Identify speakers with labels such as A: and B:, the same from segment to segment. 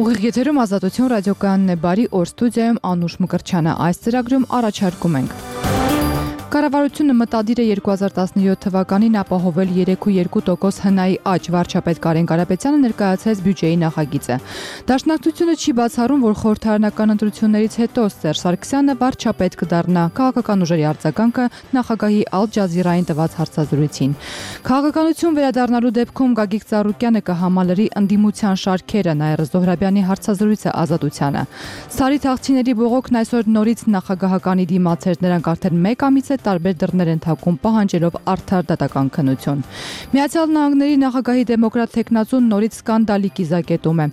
A: Ուղիղ եթերում Ազատություն ռադիոկայանն է, բարի օր, ստուդիայում Անուշ Մկրտչյանը, այս ծրագրում առաջարկում ենք. Կառավարությունը մտադիր է 2017 թվականին ապահովել 3,2% հնայի աճ, վարչապետ Կարեն Կարապետյանը ներկայացրեց բյուջեի նախագիծը։ Դաշնակցությունը չի բացառում, որ խորհրդարանական ընտրություններից հետո Սերժ Սարգսյանը վարչապետ կդառնա, քաղաքական ուժերի արձագանքը նախագահի Ալ Ջազիրային տված հարցազրույցին։ Քաղաքականություն վերադառնալու դեպքում Գագիկ Ծառուկյանը կհամալրի ընդդիմության շարքերը, Նաիրա Զոհրաբյանի հարցազրույցը Ազատությանը։ Սարի թաղցիների բողոքն այսօր նորից նախագահականի դիմաց էր, նրանք արդեն 1 ամիս է տարբեր դռներ են թակում պահանջելով արդար դատական քննություն։ Միացյալ Նահանգների նախագահի դեմոկրատ թեկնածուն նորից սկանդալի կիզակետում է։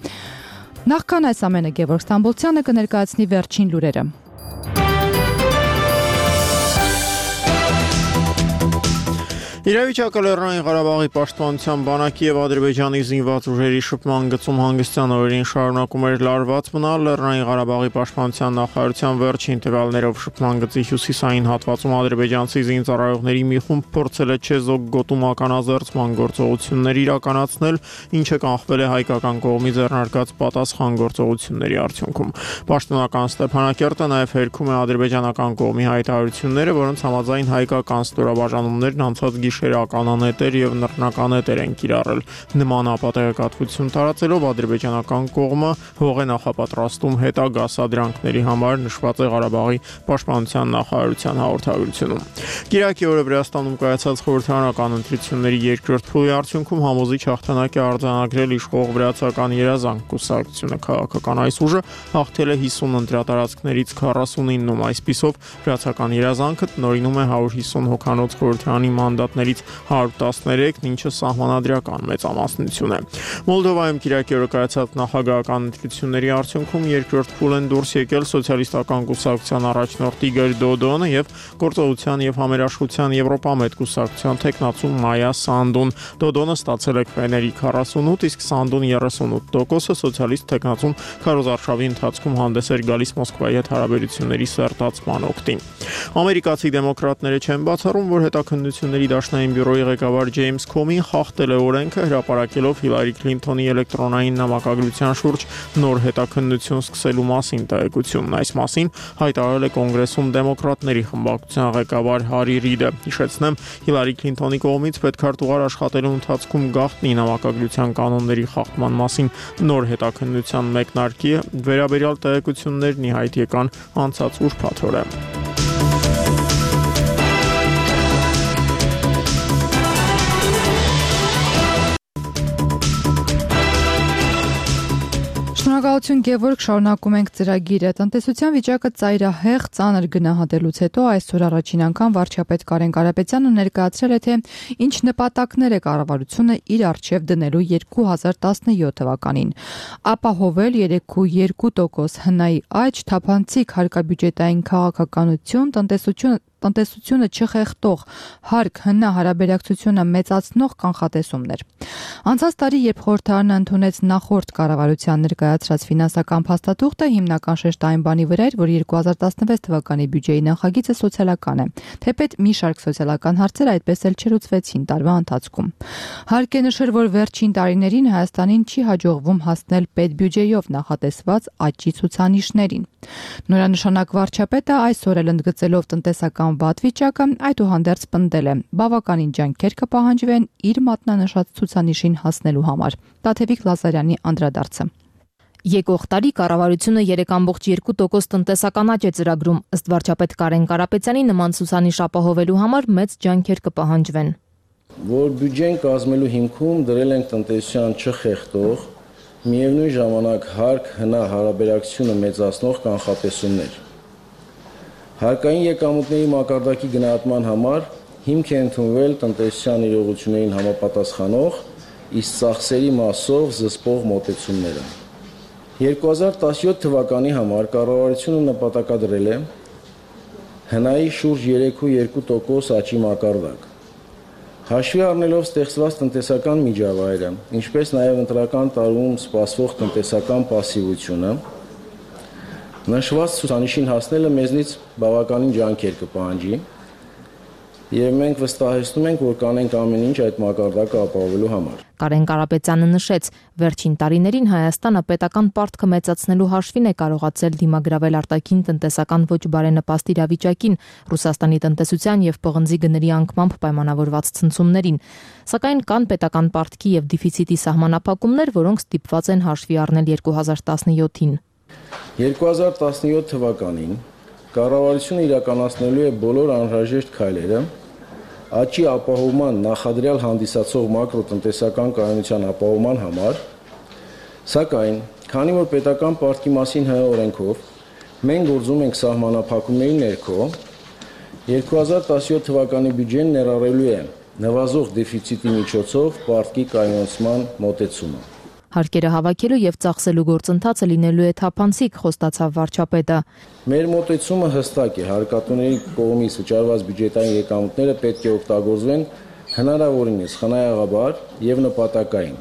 A: Նախքան այս ամենը Գևորգ Ստամբոլցյանը կներկայացնի վերջին լուրերը։
B: Իրավիճակը Լեռնային Ղարաբաղի պաշտպանության բանակի եւ Ադրբեջանի զինված ուժերի շփման գծում հանգստյան օրերին շարունակում էր լարված մնալ։ Լեռնային Ղարաբաղի պաշտպանության նախարարության վերջին տվյալներով շփման գծի հյուսիսային հատվածում ադրբեջանցի զինծառայողների մի խումբ փորձել է չեզոք գոտու մականազերծման գործողություններ իրականացնել, ինչը կանխվել է հայկական կողմից ձեռնարկած պատասխան գործողությունների արդյունքում։ Պաշտոնական Ստեփանակերտը նաեւ հերքում է ադրբեջանական կողմի հայտարարությունները, որոնց համաձայն հայկական ստորաբաժանումներն անցած գիշերականանետեր եւ նռնականետեր են կիրառել։ Նման ապատեգատվություն տարածելով ադրբեջանական կողմը հող է նախապատրաստում հետագա սադրանքների համար, նշված է Ղարաբաղի պաշտպանության նախարարության հաղորդագրությունում։ Կիրակի օրը Վրաստանում կայացած խորհրդարանական ընտրությունների երկրորդ փուլի արդյունքում համոզիչ հաղթանակ է արձանագրել իշխող վրացական երազանք կուսակցությունը։ Քաղաքական այս ուժը հաղթել է 50 ընտրատարածքներից 49-ում, այսպիսով վրացական երազանքը տնօրինում է 150 հոգանոց խորհրդարանի մանդատներից 113, ինչը սահմանադրական մեծամասնություն է։ Մոլդովայում Կիրակի օրը կայացած նախագահական ընտրությունների արդյունքում երկրորդ փուլ են դուրս եկել սոցիալիստական կուսակցության առաջնորդ Իգոր Դոդոնը եւ Գործողության եւ Համերաշխության Եվրոպամետ կուսակցության թեկնածու Մայա Սանդուն։ Դոդոնը ստացել է քվեների 48, իսկ Սանդուն 38%, սոցիալիստ թեկնածուն Քարոզ Արշավի ընթացքում հանդես էր գալիս Մոսկվայի հետ հարաբերությունների սերտացման օգտին։ Ամերիկացի դեմոկրատները չեն բացառում, որ հետաքննությունների դաշնային բյուրոյի ղեկավար Ջեյմս Քոմին խախտել է օրենքը, հրապարակելով Հիլարի Քլինթոնի էլեկտրոնային նամակագրության շուրջ նոր հետաքննություն սկսելու մասին տեղեկությունն։ Այս մասին հայտարարել է Կոնգրեսում դեմոկրատների խմբակցության ղեկավար Հարի Ռիդը։ Հիշեցնեմ, Հիլարի Քլինթոնի կողմից պետքարտուղար աշխատելու ընթացքում գաղտնի նամակագրության կանոնների խախտման մասին նոր հետաքննության մեկնարկի վերաբերյալ տեղեկություններն ի հայտ եկան անցած ուրբաթ օրը։
A: Շնորհակալություն Գևորգ, շարունակում ենք ծրագիրը։ Տնտեսության վիճակը ծայրահեղ ծանր գնահատելուց հետո այսօր առաջին անգամ վարչապետ Կարեն Կարապետյանը ներկայացրել է, թե ինչ նպատակներ է կառավարությունը իր առջև դնելու 2017 թվականին։ Ապահովել 3,2% հնայի աճ, թափանցիկ հարկաբյուջետային քաղաքականություն, տնտեսությունը չխեղդող հարկ հնա հարաբերակցությունը մեծացնող կանխատեսումներ։ Անցած տարի, երբ խորհրդարանը ընդունեց նախորդ կառավարության ներկայացրած ֆինանսական փաստաթուղթը, հիմնական շեշտը այն բանի վրա էր, որ 2016 թվականի բյուջեի նախագիծը սոցիալական է, թեպետ մի շարք սոցիալական հարցեր այդպես էլ չլուծվեցին տարվա ընթացքում։ Հարկ է նշել, որ վերջին տարիներին Հայաստանին չի հաջողվում հասնել պետբյուջեյով նախատեսված աճի ցուցանիշներին։ Նորանշանակ վարչապետը այսօր էլ ընդգծելով տնտեսական վատ վիճակը, այդուհանդերձ պնդել է, բավականին ջանքեր կպահանջվեն իր մատնանշած ցուցանիշին հասնելու համար։ Տաթևիկ Լազարյանի անդրադարձը։
C: Եկող տարի կառավարությունը 3,2% տնտեսական աճ է ծրագրում, ըստ վարչապետ Կարեն Կարապետյանի նման ցուցանիշ ապահովելու համար մեծ ջանքեր կպահանջվեն։
D: Որ բյուջեն կազմելու հիմքում դրել ենք տնտեսության չխեղդող, միևնույն ժամանակ հարկ հնա հարաբերակցությունը մեծացնող կանխատեսումներ։ Հարկային եկամուտների մակարդակի գնահատման համար հիմք է ընդունվել տնտեսության իրողություններին համապատասխանող, իսկ ծախսերի մասով զսպող մոտեցումները։ 2017 թվականի համար կառավարությունը նպատակադրել է հնայի շուրջ 3,2% աճի մակարդակ։ Հաշվի առնելով ստեղծված տնտեսական միջավայրը, ինչպես նաև ընտրական տարում սպասվող տնտեսական պասիվությունը, նշված ցուցանիշին հասնելը մեզնից բավականին ջանքեր կպահանջի։ Եվ մենք վստահեցնում ենք, որ կանենք ամեն ինչ այդ մակարդակը ապահովելու համար։
C: Կարեն Կարապետյանը նշեց, վերջին տարիներին Հայաստանը պետական պարտքը մեծացնելու հաշվին է կարողացել դիմագրավել արտաքին տնտեսական ոչ բարենպաստ իրավիճակին, Ռուսաստանի տնտեսության եւ պղնձի գների անկմամբ պայմանավորված ցնցումներին, սակայն կան պետական պարտքի եւ դեֆիցիտի սահմանափակումներ, որոնք ստիպված են հաշվի առնել 2017-ին։
D: 2017 թվականին կառավարությունը իրականացնելու է բոլոր անհրաժեշտ քայլերը աճի ապահովման նախադրյալ հանդիսացող մակրոտնտեսական կայունության ապահովման համար, սակայն, քանի որ պետական պարտքի մասին ՀՀ օրենքով մենք գործում ենք սահմանափակումների ներքո, 2017 թվականի բյուջեն ներառելու է նվազող դեֆիցիտի միջոցով պարտքի կայունացման մոտեցումը։
C: Հարկերը հավաքելու եւ ծախսելու գործընթացը լինելու է թափանցիկ, խոստացավ վարչապետը։
D: Մեր մոտեցումը հստակ է, հարկատուների կողմից վճարված բյուջետային եկամուտները պետք է օգտագործվեն հնարավորինս խնայողաբար եւ նպատակային,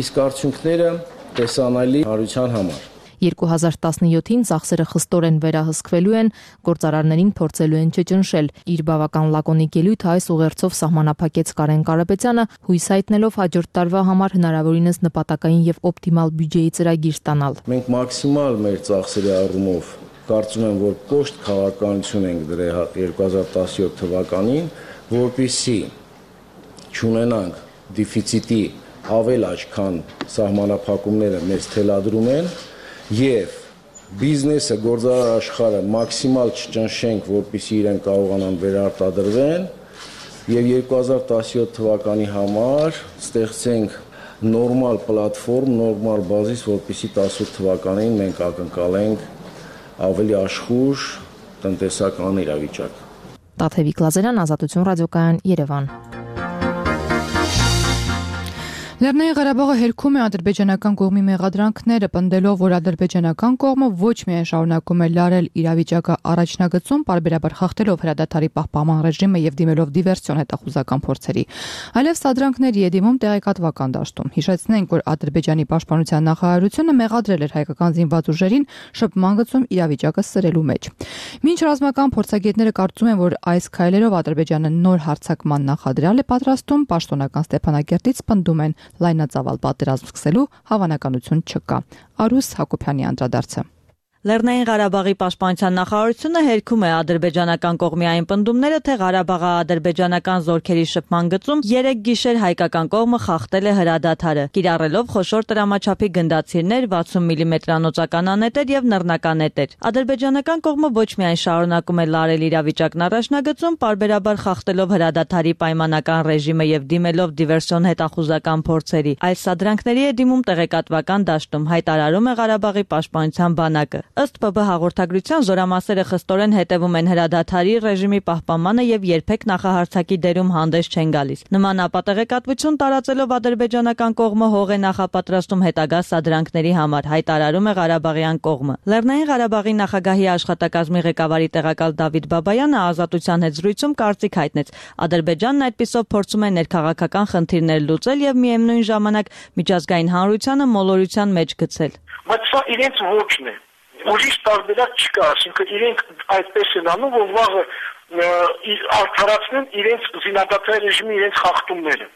D: իսկ արդյունքները տեսանելի հանրության համար։
C: 2017-ին ծախսերը խստորեն վերահսկվելու են, գործարարներին փորձելու են չճնշել։ Իր բավական լակոնիկ ելույթը այս ուղերձով սահմանափակեց Կարեն Կարապետյանը, հույս հայտնելով հաջորդ տարվա համար հնարավորինս նպատակային եւ օպտիմալ բյուջեի ծրագիր ստանալ։
D: Մենք մաքսիմալ մեր ծախսերի առումով կարծում եմ, որ կոշտ քաղաքականություն ենք դրել 2017 թվականին, որպեսզի չունենանք դեֆիցիտի ավել աճ, քան սահմանափակումները մեզ թելադրում են, եւ բիզնեսը, գործարար աշխարհը մաքսիմալ չճնշենք, որպեսզի իրեն կարողանան վերարտադրվեն եւ 2017 թվականի համար ստեղծենք նորմալ պլատֆորմ, նորմալ բազիս, որպեսզի 18 թվականին մենք ակնկալենք ավելի աշխույժ տնտեսական իրավիճակ։
C: Տաթևիկ Լազարյան, Ազատություն ռադիոկայան, Երևան։
A: Լեռնային Ղարաբաղը հերքում է ադրբեջանական կողմի մեղադրանքները, պնդելով, որ ադրբեջանական կողմը ոչ միայն շարունակում է լարել իրավիճակը առաջնագծում, պարբերաբար խախտելով հրադադարի պահպանման ռեժիմը եւ դիմելով դիվերսիոն հետախուզական փորձերի, այլև սադրանքների է դիմում տեղեկատվական դաշտում։ Հիշեցնենք, որ Ադրբեջանի պաշտպանության նախարարությունը մեղադրել էր հայկական զինված ուժերին շփման գծում իրավիճակը սրելու մեջ։ Մինչ ռազմական փորձագետները կարծում են, որ այս քայլերով Ադրբեջանը նոր հարձակման նախադրյալ է պատրաստում, պաշտոնական Ստեփանակերտից պնդում են լայնածավալ պատերազմ սկսելու հավանականություն չկա։ Արուս Հակոբյանի անդրադարձը։
E: Լեռնային Ղարաբաղի պաշտպանության նախարարությունը հերքում է ադրբեջանական կողմի այն պնդումները, թե Ղարաբաղի ադրբեջանական զորքերի շփման գծում 3 գիշեր հայկական կողմը խախտել է հրադադարը, կիրառելով խոշոր տրամաչափի գնդացիրներ, 60 մմ-անոծական անետեր եւ նռնականետեր։ Ադրբեջանական կողմը ոչ միայն շարունակում է լարել իրավիճակն առաջնագծում, պարբերաբար խախտելով հրադադարի պայմանական ռեժիմը եւ դիմելով դիվերսիոն հետախուզական փորձերի, այլ սադրանքների է դիմում տեղեկատվական դաշտում, հայտարարում է Ղարաբաղի պաշտպանության բանակը։ Ըստ ՊԲ հաղորդագրության զորամասերը խստորեն հետևում են հրադադարի ռեժիմի պահպանմանը եւ երբեք նախահարցակի դերում հանդես չեն գալիս։ Նման ապատեղեկատվություն տարածելով ադրբեջանական կողմը հող է նախապատրաստում հետագա սադրանքների համար, հայտարարում է Ղարաբաղյան կողմը։ Լեռնային Ղարաբաղի նախագահի աշխատակազմի ղեկավարի տեղակալ Դավիթ Բաբայանը Ազատության հետ զրույցում կարծիք հայտնեց. Ադրբեջանն այդպիսով փորձում է ներքաղաքական խնդիրներ լուծել եւ միևնույն ժամանակ միջազգային հանրությանը մոլորության մեջ գցել։
F: Բայց սա իրենց ոչն է։ Ուրիշ տարբերակ չկա, այսինքն իրենք այդպես են անում, որ վաղը արդարացնեն իրենց զինադադարի ռեժիմի իրենց խախտումները։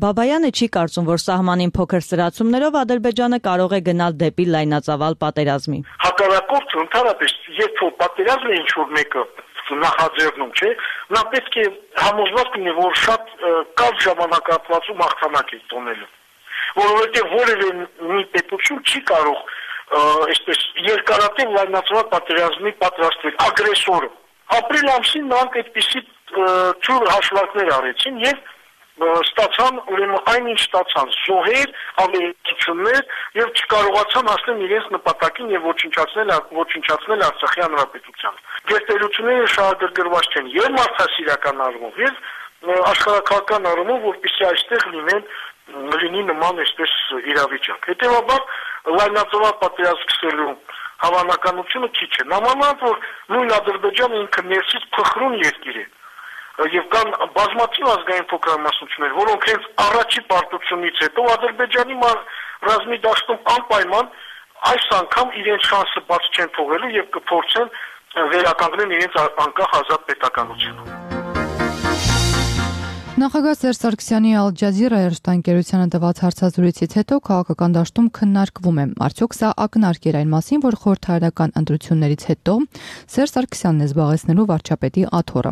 E: Բաբայանը չի կարծում, որ սահմանին փոքր սրացումներով Ադրբեջանը կարող է գնալ դեպի լայնածավալ պատերազմի։
F: Հակառակորդը ընդհանրապես, երբ որ պատերազմ է ինչ-որ մեկը նախաձեռնում, չէ, նա պետք է համոզված լինի, որ շատ կարճ ժամանակահատվածում հաղթանակ է տոնելու, որովհետև որևէ մի պետություն չի կարող այսպես երկարատև լայնածավալ պատերազմի պատրաստվել ագրեսորը։ Ապրիլ ամսին նրանք այդպիսի ծուր հաշվարկներ արեցին եւ ստացան ուրեմն այնինչ ստացան զոհեր, ավերածություններ եւ չկարողացան հասնել իրենց նպատակին եւ ոչնչացնել Արցախի հանրապետության։ Գերտերությունները շահագրգռված չեն եւ մարդասիրական առումով եւ աշխարհակաղակական առումով, որպեսզի այստեղ լինի նման այսպես իրավիճակ։ Հետեւաբար լայնածավալ պատերազմ սկսելու հավանականությունը քիչ է։ Նամանավանդ որ նույն Ադրբեջանը ինքը ներսից փխրուն երկիր է եւ կան բազմաթիվ ազգային փոքրամասնություններ, որոնք հենց առաջի պարտությունից հետո Ադրբեջանի ռազմի դաշտում անպայման այս անգամ իրենց շանսը բաց չեն թողելու եւ կփորձեն վերականգնել իրենց անկախ ազատ պետականությունը։
A: Նախագահ Սերժ Սարգսյանի Al Jazeera հեռուստաընկերությանը տված հարցազրույցից հետո քաղաքական դաշտում քննարկվում է. արդյոք սա ակնարկ էր այն մասին, որ խորհրդարանական ընտրություններից հետո Սերժ Սարգսյանն է զբաղեցնելու վարչապետի աթոռը։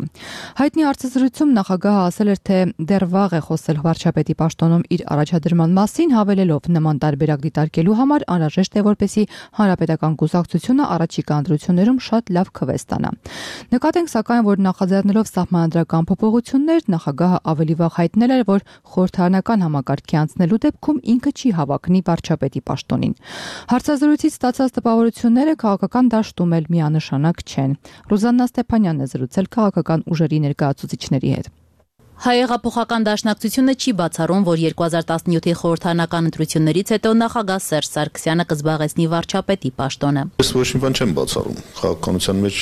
A: Հայտնի հարցազրույցում նախագահը ասել էր, թե դեռ վաղ է խոսել վարչապետի պաշտոնում իր առաջադրման մասին, հավելելով նման տարբերակ դիտարկելու համար անհրաժեշտ է, որպեսզի հանրապետական կուսակցությունը առաջիկա ընտրություններում շատ լավ քվե ստանա։ Նկատենք սակայն, որ նախաձեռնելով սահմանադրական փոփոխություններ, նախագահը ավելի վաղ հայտնել էր, որ խորհրդարանական համակարգի անցնելու դեպքում ինքը չի հավակնի վարչապետի պաշտոնին։ Հարցազրույցից ստացած տպավորությունները քաղաքական դաշտում էլ միանշանակ չեն։ Ռուզաննա Ստեփանյանն է զրուցել քաղաքական ուժերի ներկայացուցիչների հետ։
C: Հայեղափոխական դաշնակցությունը չի բացառում, որ 2017-ի խորհրդարանական ընտրություններից հետո նախագահ Սերժ Սարգսյանը կզբաղեցնի վարչապետի պաշտոնը։
G: Ես ոչ մի բան չեմ բացառում։ Քաղաքականության մեջ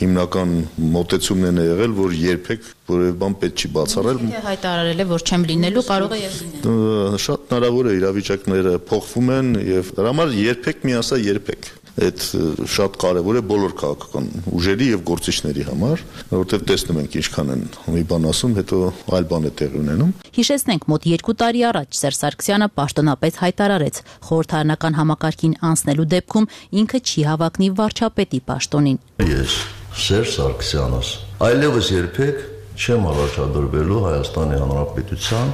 G: հիմնական մոտեցումն է եղել, որ երբեք որևէ բան պետք չի բացառել։
C: Եթե հայտարարել է, որ չեմ լինելու, կարող է եւ լինել։
G: Շատ հնարավոր է, իրավիճակները փոխվում են եւ դրա համար երբեք մի ասա երբեք։ Այդ շատ կարևոր է բոլոր քաղաքական ուժերի եւ գործիչների համար, որովհետեւ տեսնում ենք ինչքան են մի բան ասում, հետո այլ բան է տեղի ունենում։
C: Հիշեցնենք, մոտ 2 տարի առաջ Սերժ Սարգսյանը պաշտոնապես հայտարարեց, խորհրդարանական համակարգին անցնելու դեպքում ինքը չի հավակնի վարչապետի պաշտոնին։
H: Ես Սերժ Սարգսյանս այլևս երբեք չեմ առաջադրվելու Հայաստանի Հանրապետության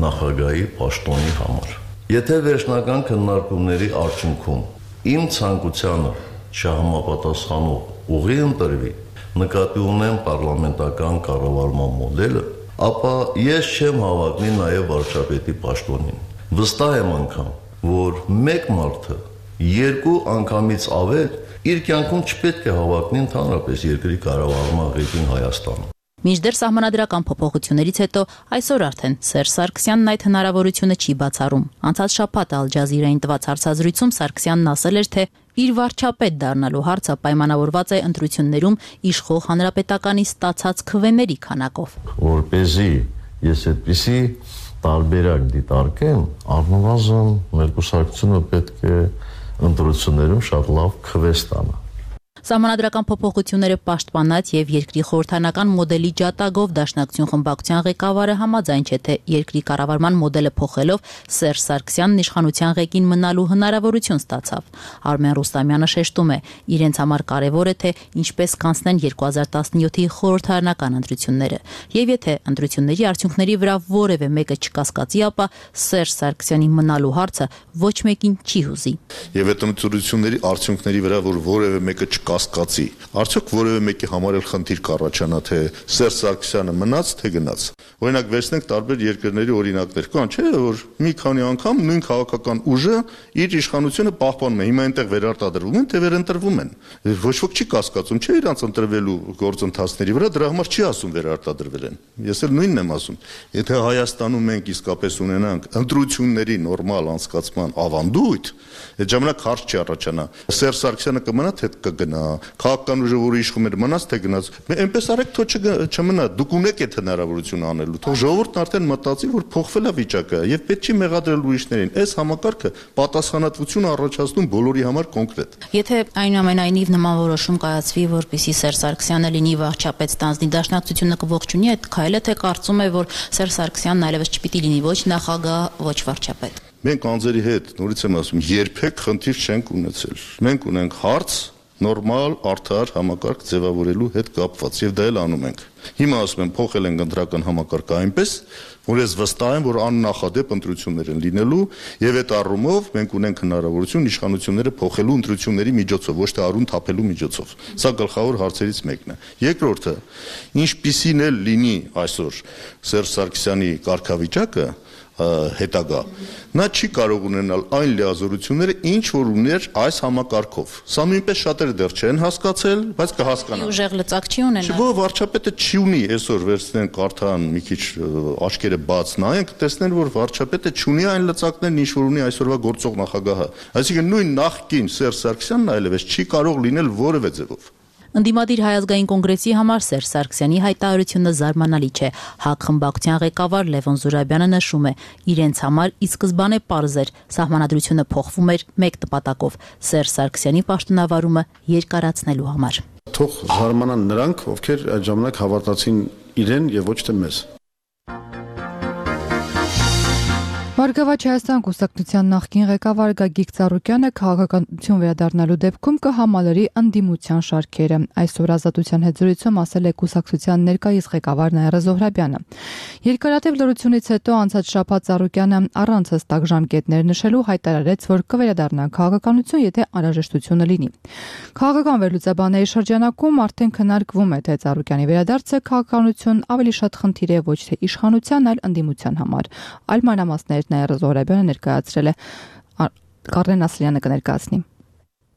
H: նախագահի պաշտոնի համար։ Եթե վերջնական քննարկումների արդյունքում իմ ցանկությանը չհամապատասխանող ուղի ընտրվի, նկատի ունեմ պարլամենտական կառավարման մոդելը, ապա ես չեմ հավակնի նաև վարչապետի պաշտոնին։ Վստահ եմ անգամ, որ մեկ մարդը երկու անգամից ավել իր կյանքում չպետք է հավակնի ընդհանրապես երկրի կառավարման ղեկին Հայաստանում։
C: Մինչդեռ սահմանադրական փոփոխություններից հետո այսօր արդեն Սերժ Սարգսյանն այդ հնարավորությունը չի բացառում։ Անցած շաբաթ Al Jazeera-ին տված հարցազրույցում Սարգսյանն ասել էր, թե իր վարչապետ դառնալու հարցը պայմանավորված է ընտրություններում իշխող հանրապետականի ստացած քվեների քանակով։
H: Որպեսզի ես այդպիսի տարբերակ դիտարկեմ, առնվազն մեր կուսակցությունը պետք է ընտրություններում շատ լավ քվե ստանա։
C: Սահմանադրական փոփոխությունները պաշտպանած եւ երկրի խորհրդարանական մոդելի ջատագով Դաշնակցություն խմբակցության ղեկավարը համաձայն չէ, թե երկրի կառավարման մոդելը փոխելով Սերժ Սարգսյանն իշխանության ղեկին մնալու հնարավորություն ստացավ։ Արմեն Ռուստամյանը շեշտում է, իրենց համար կարևոր է, թե ինչպես կանցնեն 2017-ի խորհրդարանական ընտրությունները։ Եվ եթե ընտրությունների արդյունքների վրա որևէ մեկը չկասկածի, ապա Սերժ Սարգսյանի մնալու հարցը ոչ մեկին չի հուզի։
G: Եվ այդ ընտրությունների արդյունքների վրա որ որևէ մեկը կասկածի, արդյոք որևէ մեկի համար էլ խնդիր կառաջանա, թե Սերժ Սարգսյանը մնաց, թե գնաց։ Օրինակ վերցնենք տարբեր երկրների օրինակներ, կան, չէ՞, որ մի քանի անգամ նույն քաղաքական ուժը իր իշխանությունը պահպանում է, հիմա այնտեղ վերարտադրվում են, թե վերընտրվում են։ Ոչ ոք չի կասկածում, չէ՞ իրանց ընտրվելու գործընթացների վրա, դրա համար չի ասում վերարտադրվել են։ Ես էլ նույնն եմ ասում։ Եթե Հայաստանում մենք իսկապես ունենանք ընտրությունների նորմալ անցկացման ավանդույթ, այդ ժամանակ հարց չի առաջանա։ Սերժ Սարգսյանը կմնա, թե կգնա, քաղաքական ուժը, որը իշխում էր, մնաց, թե գնաց։ Այնպես արեք, թող չմնա, դուք ունեք այդ հնարավորությունը անելու։ Թող ժողովուրդն արդեն մտածի, որ փոխվել է վիճակը եւ պետք չի մեղադրել ուրիշներին։ Այս համակարգը պատասխանատվություն առաջացնում բոլորի համար կոնկրետ։
C: Եթե այնուամենայնիվ նման որոշում կայացվի, որպեսզի Սերժ Սարգսյանը լինի վարչապետ ստանձնի, Դաշնակցությունը կողջունի այդ քայլը, թե կարծում է, որ Սերժ Սարգսյանն այլևս չպիտի լինի ոչ նախագահ, ոչ վարչապետ։
G: Մենք անձերի հետ, նորից եմ ասում, երբեք խնդիր չենք ունեցել։ Մենք ունենք հարց նորմալ արդար համակարգ ձևավորելու հետ կապված եւ դա էլ անում ենք։ Հիմա ասում եմ փոխել ենք ընտրական համակարգը այնպես, որ ես վստահ եմ, որ աննախադեպ ընտրություններ են լինելու եւ այդ առումով մենք ունենք հնարավորություն իշխանությունները փոխելու ընտրությունների միջոցով, ոչ թե արուն թափելու միջոցով։ Սա գլխավոր հարցերից մեկն է։ Երկրորդը, ինչպիսին էլ լինի այսօր Սերժ Սարգսյանի կարգավիճակը հետագա, նա չի կարող ունենալ այն լիազորությունները, ինչ որ ուներ այս համակարգով։ Սա նույնպես շատերը դեռ չեն հասկացել, բայց կհասկանան։
C: Ուժեղ լծակ չի ունենալ։
G: Ոչ, վարչապետը չի ունի, այսօր վերցնեն կարթան մի քիչ աչքերը բաց նայեն, կտեսնեն, որ վարչապետը չունի այն լծակներն, ինչ որ ունի այսօրվա գործող նախագահը։ Այսինքն նույն նախկին Սերժ Սարգսյանն այլևս չի կարող լինել որևէ ձևով։
C: Ընդդիմադիր Հայ ազգային կոնգրեսի համար Սերժ Սարգսյանի հայտարարությունը զարմանալի չէ։ ՀԱԿ խմբակցության ղեկավար Լևոն Զուրաբյանը նշում է, իրենց համար ի սկզբանե պարզ էր, սահմանադրությունը փոխվում էր մեկ նպատակով՝ Սերժ Սարգսյանի պաշտոնավարումը երկարացնելու համար։
I: Թող զարմանան նրանք, ովքեր այդ ժամանակ հավատացին իրեն եւ ոչ թե մեզ։
A: Բարգավաճ Հայաստան կուսակցության նախկին ղեկավար Գագիկ Ծառուկյանը քաղաքականություն վերադառնալու դեպքում կհամալրի ընդդիմության շարքերը։ Այսօր Ազատության հետ զրույցում ասել է կուսակցության ներկայիս ղեկավար Նաիրա Զոհրաբյանը։ Երկարատև լրությունից հետո անցած շաբաթ Ծառուկյանը առանց հստակ ժամկետներ նշելու հայտարարեց, որ կվերադառնա քաղաքականություն, եթե անհրաժեշտությունը լինի։ Քաղաքական վերլուծաբանների շրջանակում արդեն քննարկվում է, թե Ծառուկյանի վերադարձը քաղաքականություն ավելի շատ խնդիր է ոչ թե իշխանության, այլ ընդդիմության համար։ Այլ մանրամասներ Նաիրա Զոհրաբյանը ներկայացրել է, Կարեն Ասլյանը կներկայացնի։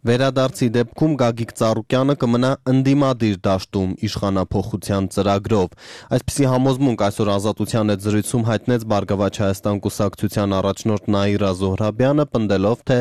I: Վերադարձի դեպքում Գագիկ Ծառուկյանը կմնա ընդդիմադիր դաշտում իշխանափոխության ծրագրով։ Այսպիսի համոզմունք այսօր Ազատության հետ զրույցում հայտնեց Բարգավաճ Հայաստան կուսակցության առաջնորդ Նաիրա Զոհրաբյանը, պնդելով, թե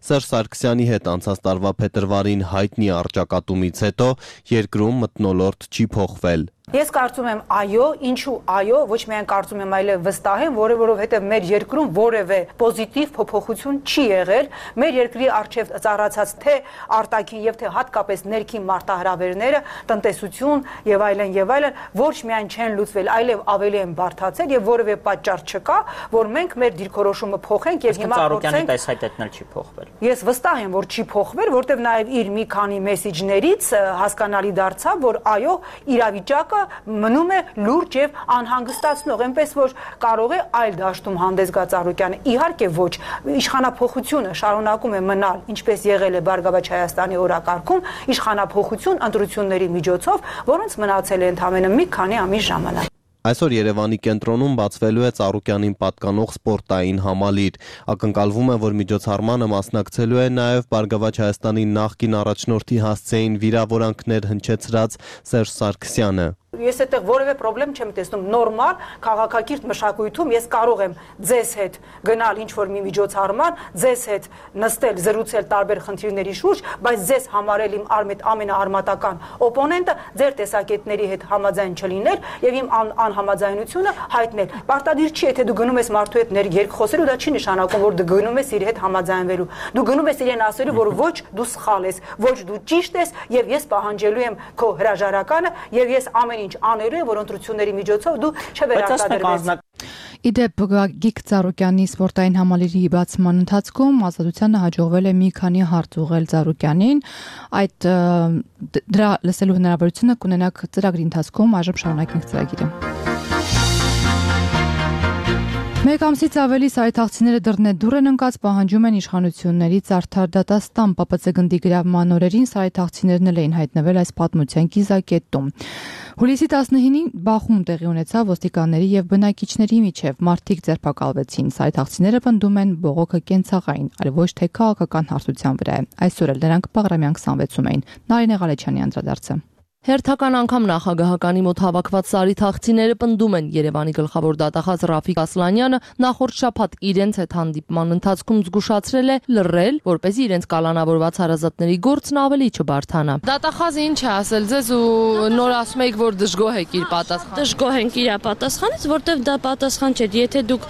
I: Սերժ Սարգսյանի հետ անցած տարվա փետրվարին հայտնի առճակատումից հետո երկրում մթնոլորտ չի փոխվել։
J: Ես կարծում եմ այո, ինչու այո, ոչ միայն կարծում եմ, այլև վստահ եմ, որովհետև մեր երկրում որևէ պոզիտիվ փոփոխություն չի եղել, մեր երկրի առջև ծառացած թե արտաքին եւ թե հատկապես ներքին մարտահրավերները, տնտեսություն եւ այլն, ոչ միայն չեն լուծվել, այլև ավելի են բարդացել եւ որևէ պատճառ չկա, որ մենք մեր դիրքորոշումը փոխենք եւ հիմա փոխենք։
K: Այս հայտնել չի փոխվել։
J: Ես վստահ եմ, որ չի փոխվել, որովհետև նաեւ իր մի քանի մեսեջներից հասկանալի դարձավ, որ այո, իրավիճակը մնում է լուրջ եւ անհանգստացնող, այնպես որ կարող է այլ դաշտում հանդես գա Ծառուկյանը։ Իհարկե ոչ, իշխանափոխությունը շարունակում է մնալ, ինչպես եղել է Բարգավաճ Հայաստանի օրակարգում, իշխանափոխություն ընտրությունների միջոցով, որոնց մնացել է ընդամենը մի քանի ամիս ժամանակ։
I: Այսօր Երևանի կենտրոնում բացվելու է Ծառուկյանին պատկանող սպորտային համալիր։ Ակնկալվում է, որ միջոցառմանը մասնակցելու է նաև Բարգավաճ Հայաստանի նախկին առաջնորդի հասցեին վիրավորանքներ հնչեցրած Սերժ Սարգսյանը։
J: Ես այդտեղ որևէ խնդրեմ չեմ տեսնում, նորմալ քաղաքակիրթ մշակույթում ես կարող եմ ձեզ հետ գնալ ինչ-որ մի միջոցառման, ձեզ հետ նստել, զրուցել տարբեր խնդիրների շուրջ, բայց ձեզ համարել իմ ամենաարմատական օպոնենտը, ձեր տեսակետների հետ համաձայն չլինել եւ իմ անհամաձայնությունը հայտնել։ Պարտադիր չի, եթե դու գնում ես մարդու հետ երկխոսելու, դա չի նշանակում, որ դու գնում ես իր հետ համաձայնվելու։ Դու գնում ես իրեն ասելու, որ ոչ դու սխալ ես, ոչ դու ճիշտ ես եւ ես պահանջելու եմ քո հրաժարականը եւ ես ամեն ինչ անելու է, որ ընտրությունների միջոցով դու չվերարտադրվես։
A: Իդեպ Գագիկ Ծառուկյանի սպորտային համալիրի բացման ընթացքում Ազատությանը հաջողվել է մի քանի հարց ուղղել Ծառուկյանին, դրա լսելու հնարավորությունը կունենաք ծրագրի ընթացքում, այժմ շարունակենք ծրագիրը։ Մեկ ամսից ավելի սայթաղցիները դռնեդուռ են ընկած, պահանջում են իշխանություններից արդար դատաստան։ ՊՊՑ գնդի գրավման օրերին սայթաղցիներն էլ էին հայտնվել այս պատմության կիզակետում։ Հուլիսի 19-ին բախում տեղի ունեցավ ոստիկանների եւ բնակիչների միջև, մարդիկ ձերբակալվեցին, սայթաղցիները պնդում են բողոքը կենցաղային, այլ ոչ թե քաղաքական հարթության վրա է։ Այսօր էլ նրանք Բաղրամյան 26-ում էին։ Նարինե Ղալեչյանի անդրադարձը։
C: Հերթական անգամ նախագահականի մոտ հավաքված սայթաղցիները պնդում են Երևանի գլխավոր դատախազ Ռաֆիկ Ասլանյանը նախորդ շաբաթ իրենց հետ հանդիպման ընթացքում զգուշացրել է լռել, որպեսզի իրենց կալանավորված հարազատների գործն ավելի չբարթանա։ Դատախազը ինչ է ասել ձեզ ու նոր ասում եք, որ դժգոհ եք իր պատասխանից։
L: Դժգոհ ենք իր պատասխանից, որտեվ դա պատասխան չէ։ Եթե դուք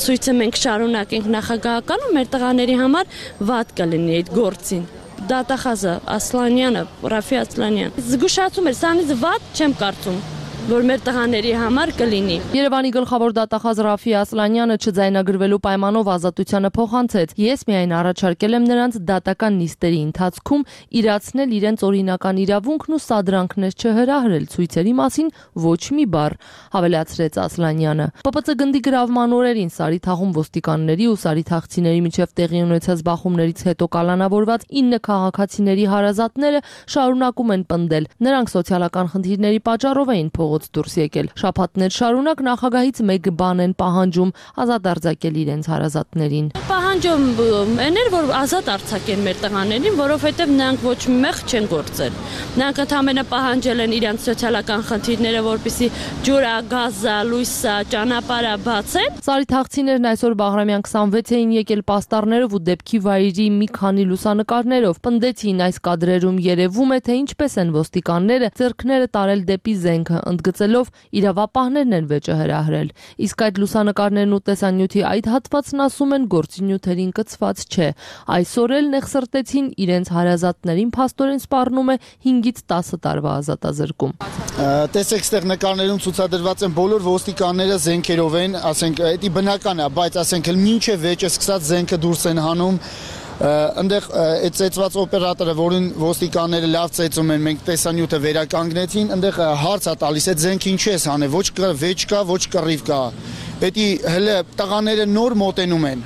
L: ցույցը մենք շարունակենք նախագահականում, մեր տղաների համար վատ կլինի այդ գործին։ Դատախազը Ասլանյանը, Ռաֆի Ասլանյան զգուշացում էր, սրանից վատ չեմ կարծում, որ մեր տղաների համար կլինի։
C: Երևանի գլխավոր դատախազ Ռաֆի Ասլանյանը չձայնագրվելու պայմանով Ազատությանը փոխանցեց։ Ես միայն առաջարկել եմ նրանց դատական նիստերի ընթացքում իրացնել իրենց օրինական իրավունքն ու սադրանքներ չհրահրել ցույցերի մասին ոչ մի բառ, հավելացրեց Ասլանյանը։ ՊՊՑ գնդի գրավման օրերին Սարիթաղում ոստիկանների ու սարիթաղցիների միջև տեղի ունեցած բախումներից հետո կալանավորված 9 քաղաքացիների հարազատները շարունակում են պնդել։ Նրանք սոցիալական խնդիրների պատճառով էին փողոց դուրս եկել։ Շաբաթներ շարունակ նախագահից մեկ բան են պահանջում՝ ազատ արձակել իրենց հարազատներին։
L: Պահանջում էներ, որ ազատ արձակեն մեր տղաներին, որովհետև նրանք ոչ մի մեղ չեն գործել։ Նրանք ընդհանրապես պահանջել են իրենց սոցիալական խնդիրները, որպեսզի ջուրը, գազը, լույսը, ճանապարհը բացեն։
C: Սարիթաղցիներն այսօր Բաղրամյան 26 էին եկել պաստառներով ու դեպքի վայրի մի քանի լուսանկարներով։ Պնդեցին այս կադրերում երևում է, թե ինչպես են ոստիկանները ձեռքները տարել դեպի զենքը, ընդգծելով իրավապահներն են վեճը հրահրել։ Իսկ այդ լուսանկարներն ու տեսանյութի այդ հատվածն ասում են գործի նյութերին կցված չէ։ Այսօր էլ նեղսրտեցին իրենց հարազատներին փաստորեն սպառնում է 5-ից 10 տարվա ազատազրկում։
K: Տեսեք, ստեղ նկարներում ցուցադրված են բոլոր ոստիկանները զենքերով են, ասենք, դա բնական է, բայց ասենք մինչև վեճը սկսած զենքը դուրս են հանում, այնտեղ այդ ծեծված օպերատորը, որին ոստիկանները լավ ծեծում են, մենք տեսանյութը վերականգնեցին, այնտեղ հարց է տալիս, այդ զենքը ինչ ես հանել, ոչ վեճ կա, ոչ կռիվ կա։ Դա հələ տղաները նոր մոտենում են։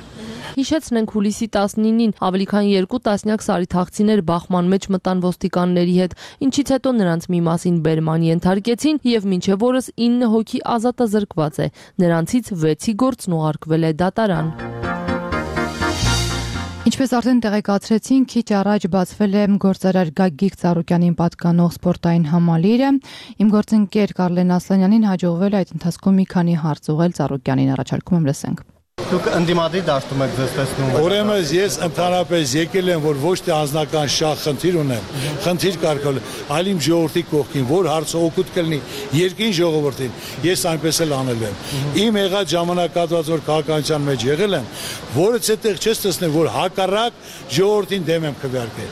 C: Հիշեցնենք հուլիսի 19-ին ավելի քան 2 տասնյակ սարիթաղցիներ բախման մեջ մտան ոստիկանների հետ, ինչից հետո նրանց մի մասին բերման ենթարկեցին եւ մինչեւ օրս 9 հոգի ազատազրկված է։ Նրանցից 6-ի գործն ուղարկվել է դատարան։
A: Ինչպես արդեն տեղեկացրեցին, քիչ առաջ բացվել է գործարար Գագիկ Ծառուկյանին պատկանող սպորտային համալիրը։ Իմ գործընկեր Կարլեն Ասլանյանին հաջողվել է այդ ընթացքում մի քանի հարց ուղղել Ծառուկյանին, առաջարկում եմ լսենք։
I: Դուք ընդդիմադիր դաշտում եք ձեզ տեսնում։
M: Ուրեմն ես ընդհանրապես եկել եմ, որ ոչ թե անձնական շահ խնդիր ունեմ, խնդիր կարգել, այլ իմ ժողովրդի կողքին, որ հարցը օգուտ կլինի երկրին ժողովրդին, ես այնպես էլ անել եմ։ Իմ եղած ժամանակահատված որ քաղաքականության մեջ եղել եմ, որից այդտեղ չես տեսնել, որ հակառակ ժողովրդին դեմ եմ քվեարկել։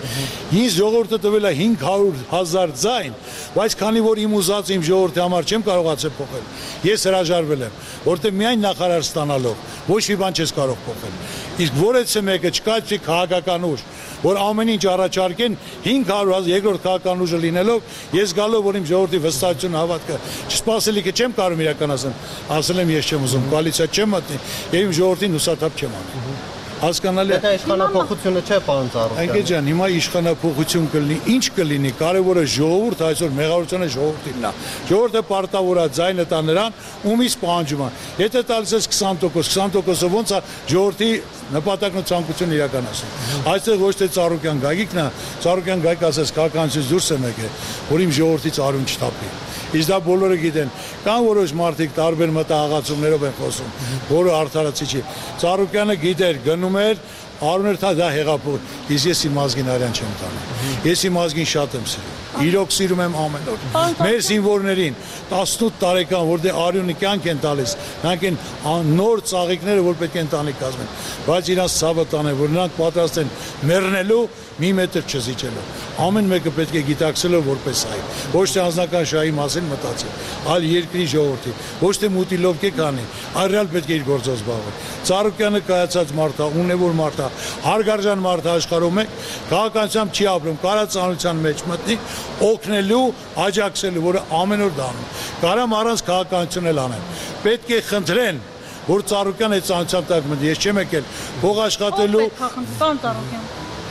M: Ինձ ժողովուրդը տվել է 500,000 ձայն, բայց քանի որ իմ ուզած իմ ժողովրդի համար չեմ կարողացել փոխել, ես հրաժարվել եմ, որտեղ միայն նախարար ստանալով ոչ մի բան չես կարող փոխել։ Իսկ որից է մեկը չկա չի քաղաքական ուժ, որ ամեն ինչ առաջարկեն 500,000 երկրորդ քաղաքական ուժը լինելով, ես գալով որ իմ ժողովրդի վստահություն հավատքը չսպասելիքը չեմ կարող իրականացնել, ասել եմ ես չեմ ուզում, կոալիցիա չեմ մտնի, եւ իմ ժողովրդին հուսադապ չեմ անի։ Հասկանալի է։
I: Դա իշխանապողությունը չէ, պարոն Ծառուկյան։
M: Անկե ջան, հիմա իշխանապողություն կլինի, ինչ կլինի, կարևորը ժողովուրդ, այսօր մեղավորությունը ժողովրդինն է։ Ժողովուրդը պարտավոր է ձայնը տա նրան, ումից պահանջում է։ Եթե տալիս ես 20%, 20%-ը ոնց է ժողովրդի նպատակն ու ցանկությունը իրականացնել։ Այստեղ ոչ թե Ծառուկյան Գագիկն է, Ծառուկյան Գագիկ ասես քաղաքականությունից դուրս է եկել, որ իմ ժողովրդից արյուն չթափի։ Իսկ դա բոլորը գիտեն, կան որոշ մարդիկ տարբեր մտահղացումներով են խոսում, որը արդարացի չի։ Ծառուկյանը գիտեր, գնում էր, արուներ թա դա հեղափոխ, իսկ ես իմ ազգին արյան չեմ տանում։ Ես իմ ազգին շատ եմ սիրում։ Իրոք սիրում եմ ամեն օր։ Մեր զինվորներին 18 տարեկան, որ դե արյունի կյանք են տալիս, նրանք են նոր ծաղիկները, որ պետք է ընտանիք կազմեն, բայց իրանց ցավը տանեն, որ նրանք պատրաստ են մեռնելու մի մետր չզիջելու։ Ամեն մեկը պետք է գիտակցելով որպես այ։ Ոչ թե անձնական շահի մասին մտածել, այլ երկրի ժողովրդի, ոչ թե մուտի լովկե կանի, այլ ռեալ պետք է իր գործով զբաղվել։ Ծառուկյանը կայացած մարդ է, ունևոր մարդ է, հարգարժան մարդ է աշխարհում է, քաղաքականությամբ չի ապրում, կարածանության մեջ մտնի, օգնելու, աջակցելու, որը ամեն օր դառնում։ Կարամ առանց քաղաքականություն էլ անեն։ Պետք է խնդրեն, որ Ծառուկյանը այդ ցանցությամբ տակ մտնի, ես չեմ եկել փող աշխատելու։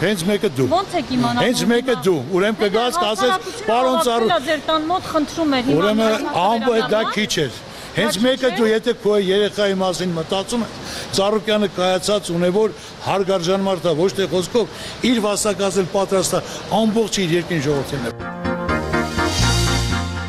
M: Հենց մեկը դու։
N: Ոնց եք իմանալու։
M: Հենց մեկը դու։ Ուրեմն կգաս կասես, պարոն Ծառուկյան։
N: Ձեր տան մոտ խնդրում էր։
M: Ուրեմն ամբողջ դա քիչ էր։ Հենց մեկը դու, եթե քո երեխայի մասին մտածում ես, Ծառուկյանը կայացած ունևոր հարգարժան մարդ է, ոչ թե խոսքով իր վաստակացել պատրաստ է ամբողջ իր երկրին ժողովրդին։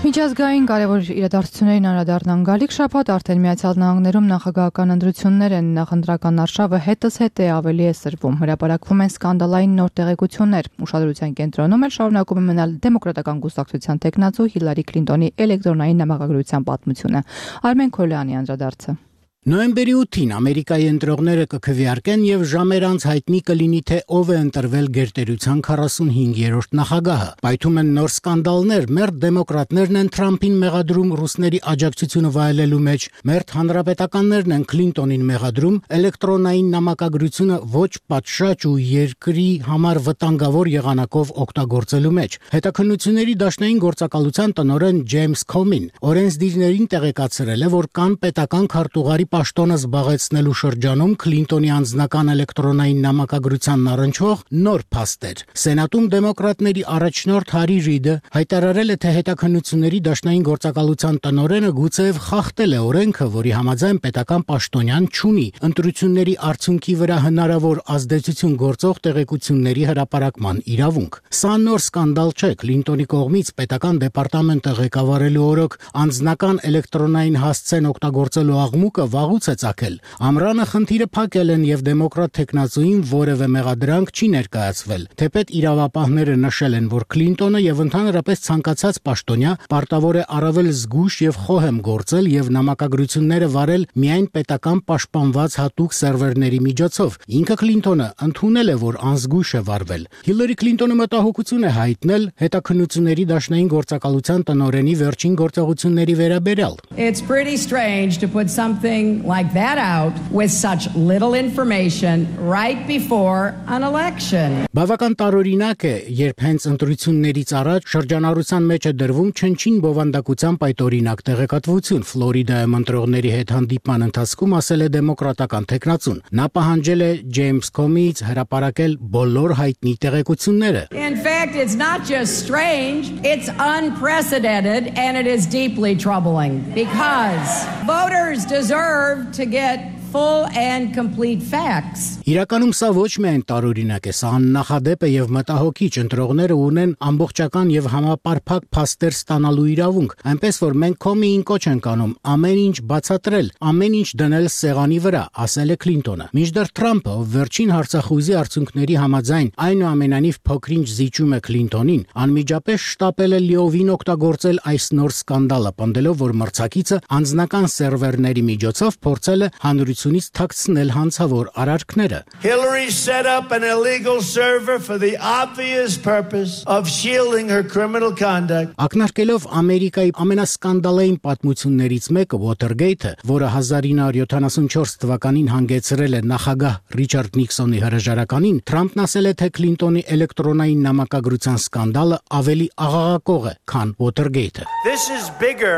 A: Միջազգային կարևոր իրադարձություններին անդրադառնան գալիք շաբաթ արդեն Միացյալ Նահանգներում նախագահական ընտրություններ են, նախընտրական արշավը հետզհետե ավելի է սրվում, հրապարակվում են սկանդալային նոր տեղեկություններ, ուշադրության կենտրոնում էլ շարունակում է մնալ դեմոկրատական կուսակցության տեխնացու Հիլարի Քլինտոնի էլեկտրոնային նամակագրության պատմությունը։ Արմեն Քոլյանի անդրադարձը։
O: Նոյեմբերի 8-ին Ամերիկայի ընտրողները կքվեարկեն եւ ժամեր անց հայտնի կլինի թե ով է ընտրվել գերտերության 45-րդ նախագահը։ Պայթում են նոր սկանդալներ, մերթ դեմոկրատներն են Թրամփին մեղադրում ռուսների աջակցությունը վայելելու մեջ, մերթ հանրապետականներն են Քլինտոնին մեղադրում էլեկտրոնային նամակագրությունը ոչ պատշաճ ու երկրի համար վտանգավոր եղանակով օգտագործելու մեջ։ Հետաքննությունների դաշնային գործակալության տնօրեն Ջեյմս Քոմին օրենսդիրներին տեղեկացրել է, որ կան պետական քարտուղարի պաշտոնը զբաղեցնելու շրջանում Քլինտոնի անձնական էլեկտրոնային նամակագրությանն առնչվող նոր փաստեր։ Սենատում դեմոկրատների առաջնորդ Հարի Ռիդը հայտարարել է, թե հետաքննությունների դաշնային գործակալության տնօրենը գուցեև խախտել է օրենքը, որի համաձայն պետական պաշտոնյան չունի ընտրությունների արդյունքի վրա հնարավոր ազդեցություն գործող տեղեկությունների հրապարակման իրավունք։ Սա նոր սկանդալ չէ։ Քլինտոնի կողմից պետական դեպարտամենտը ղեկավարելու օրոք անձնական էլեկտրոնային հասցեն օգտագործելու աղմուկը վաղուց է ծագել։ Ամռանը խնդիրը փակել են եւ դեմոկրատ տեխնացուին որևէ մեղադրանք չի ներկայացվել։ Թեպետ իրավապահները նշել են, որ Քլինտոնը եւ ընդհանրապես ցանկացած պաշտոնյա պարտավոր է առավել զգույշ եւ խոհեմ գործել եւ նամակագրությունները վարել միայն պետական պաշտպանված հատուկ սերվերների միջոցով։ Ինքը Քլինտոնը ընդունել է, որ անզգույշ է վարվել։ Հիլարի Քլինտոնը մտահոգություն է հայտնել հետաքննությունների դաշնային գործակալության տնօրենի վերջին գործողությունների վերաբերյալ։
P: It's pretty strange to put something like that out with such little information right before an election.
O: Բավական տարօրինակ է, երբ հենց ընտրություններից առաջ շրջանառության մեջ է դրվում չնչին բովանդակության պայտորինակ տեղեկատվություն։ Ֆլորիդայում ընտրողների հետ հանդիպման ընթացքում ասել է դեմոկրատական տեխնացուն։ Նա պահանջել է Ջեյմս Կոմիից հրապարակել բոլոր հայտնի տեղեկությունները։
P: In fact, it's not just strange, it's unprecedented and it is deeply troubling because voters deserve to get full and complete facts.
O: Իրականում սա ոչ միայն տարօրինակ է, սա աննախադեպ է եւ մտահոգիչ։ Ընտրողները ունեն ամբողջական եւ համապարփակ փաստեր ստանալու իրավունք, այնպես որ մենք Կոմիին կոչ ենք անում ամեն ինչ բացատրել, ամեն ինչ դնել սեղանի վրա, ասել է Քլինտոնը։ Մինչդեռ Թրամփը, ով վերջին հարցախույզի արդյունքների համաձայն այնուամենայնիվ փոքրինչ զիջում է Քլինտոնին, անմիջապես շտապել է լիովին օգտագործել այս նոր սկանդալը, պնդելով, որ մրցակիցը անձնական սերվերների միջոցով փորձել է հանրությունից թաքցնել հանցավոր արարքները։
Q: Hillary set up an illegal server for the obvious purpose of shielding her criminal conduct.
O: Ակնարկելով Ամերիկայի ամենասկանդալային պատմություններից մեկը Watergate-ը, որը 1974 թվականին հանգեցրել է նախագահ Ռիչարդ Նիքսոնի հրաժարականին, Թրամփն ասել է, թե Քլինտոնի էլեկտրոնային նամակագրության սկանդալը ավելի աղաղակող է, քան Watergate-ը։
Q: This is bigger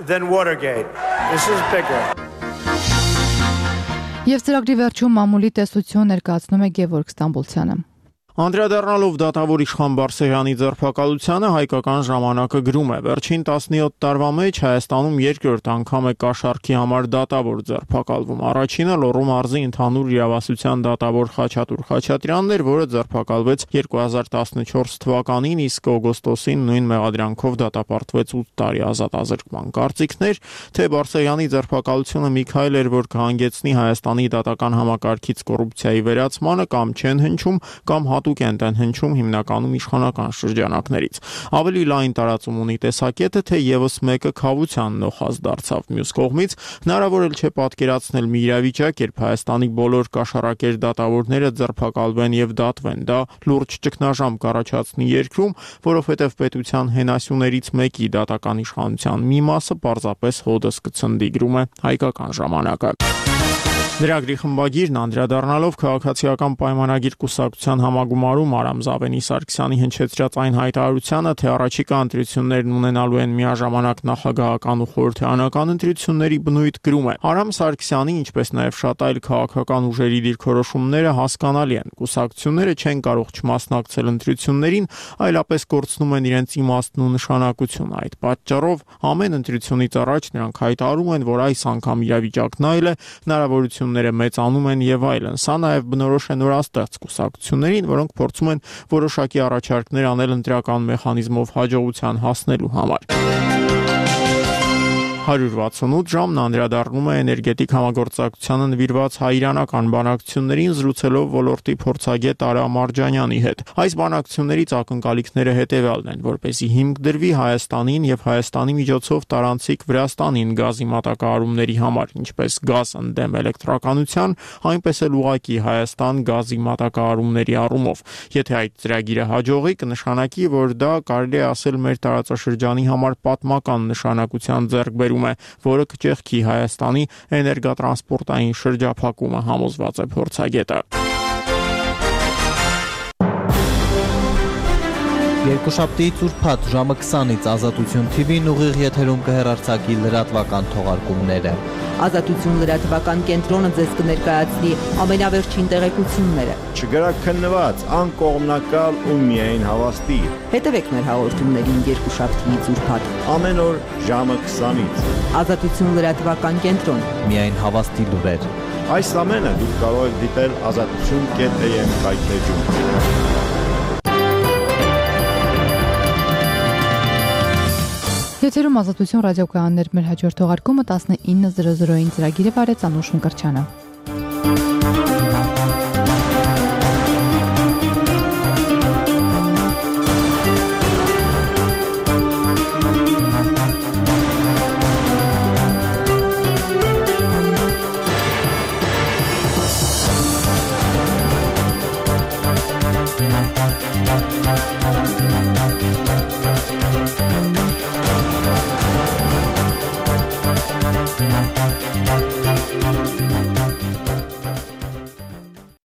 Q: than Watergate. This is bigger.
A: Եվ ծրագրի վերջում մամուլի տեսություն ներկայացնում է Գևորգ Ստամբուլցյանը։
B: Անդրադառնալով դատավոր Իշխան Բարսեղյանի ձերբակալությանը հայկական ժամանակը գրում է. Վերջին 17 տարվա մեջ Հայաստանում երկրորդ անգամ է կաշառքի համար դատավոր ձերբակալվում։ Առաջինը Լոռու մարզի ընդհանուր իրավասության դատավոր Խաչատուր Խաչատրյանն էր, որը ձերբակալվեց 2014 թվականին, իսկ օգոստոսին նույն մեղադրանքով դատապարտվեց 8 տարի ազատազրկման։ Կարծիքներ, թե Բարսեղյանի ձերբակալությունը մի քայլ էր, որ կհանգեցնի Հայաստանի դատական համակարգից կոռուպցիայի վերացմանը, կամ չեն հնչում, կամ հատուկ են հնչում հիմնականում իշխանական շրջանակներից։ Ավելի լայն տարածում ունի տեսակետը, թե եւս մեկը քավության նոխազ դարձավ։ Մյուս կողմից հնարավոր էլ չէ պատկերացնել մի իրավիճակ, երբ Հայաստանի բոլոր կաշառակեր դատավորները ձերբակալվեն եւ դատվեն։ Դա լուրջ ճգնաժամ կառաջացնի երկրում, որովհետեւ պետության հենասյուներից մեկի դատական իշխանության մի մասը պարզապես հոդս կցնդի, գրում է Հայկական ժամանակը։ Լրագրի խմբագիրն անդրադառնալով քաղաքացիական պայմանագիր կուսակցության համագումարում Արամ Զավենի Սարգսյանի հնչեցրած այն հայտարարությանը, թե առաջիկա ընտրություններն ունենալու են միաժամանակ նախագահական ու խորհրդարանական ընտրությունների բնույթ, գրում է. Արամ Սարգսյանի, ինչպես նաև շատ այլ քաղաքական ուժերի դիրքորոշումները հասկանալի են։ Կուսակցությունները չեն կարող չմասնակցել ընտրություններին, այլապես կորցնում են իրենց իմաստն ու նշանակությունը։ Այդ պատճառով ամեն ընտրությունից առաջ նրանք հայտարարում են, որ այս անգամ իրավիճակն այլ է, հնարավորություն մեծանում են եւ այլն։ Սա նաեւ բնորոշ է նորաստեղծ կուսակցություններին, որոնք փորձում են որոշակի առաջարկներ անել ընտրական մեխանիզմով հաջողության հասնելու համար։ 168 ժամն անդրադառնում է էներգետիկ համագործակցությանը նվիրված հայ-իրանական բանակցություններին, զրուցելով ոլորտի փորձագետ Արա Մարջանյանի հետ։ Այս բանակցություններից ակնկալիքները հետևյալն են, որպեսզի հիմք դրվի Հայաստանին եւ Հայաստանի միջոցով տարանցիկ Վրաստանին գազի մատակարարումների համար, ինչպես գազ ընդդեմ էլեկտրականության, այնպես էլ ուղղակի Հայաստան գազի մատակարարումների առումով։ Եթե այդ ծրագիրը հաջողի, կնշանակի, որ դա կարելի է ասել մեր տարածաշրջանի համար պատմական նշանակության ձեռքբերում է, որը կճեղքի Հայաստանի էներգատրանսպորտային շրջափակումը, համոզված է փորձագետը։
I: Երկուշաբթիից ուրբաթ ժամը 20-ից Ազատություն TV-ն ուղիղ եթերում կհեռարձակի լրատվական թողարկումները։
R: Ազատություն լրատվական կենտրոնը ձեզ կներկայացնի ամենավերջին տեղեկությունները։
S: Չգրաքննված, անկողմնակալ ու միայն հավաստի։
R: Հետևեք մեր հաղորդումներին երկուշաբթիից ուրբաթ
S: ամեն օր ժամը 20-ից։
R: Ազատություն լրատվական կենտրոն։
I: Միայն հավաստի լուրեր։
S: Այս ամենը դուք կարող եք դիտել azatutun.am կայքեջում։
A: Եթերում ազատություն ռադիոկայաններ մեր հաջորդ թողարկումը 19:00-ին ծրագիրը վարեց Անուշ Մկրտչյանը։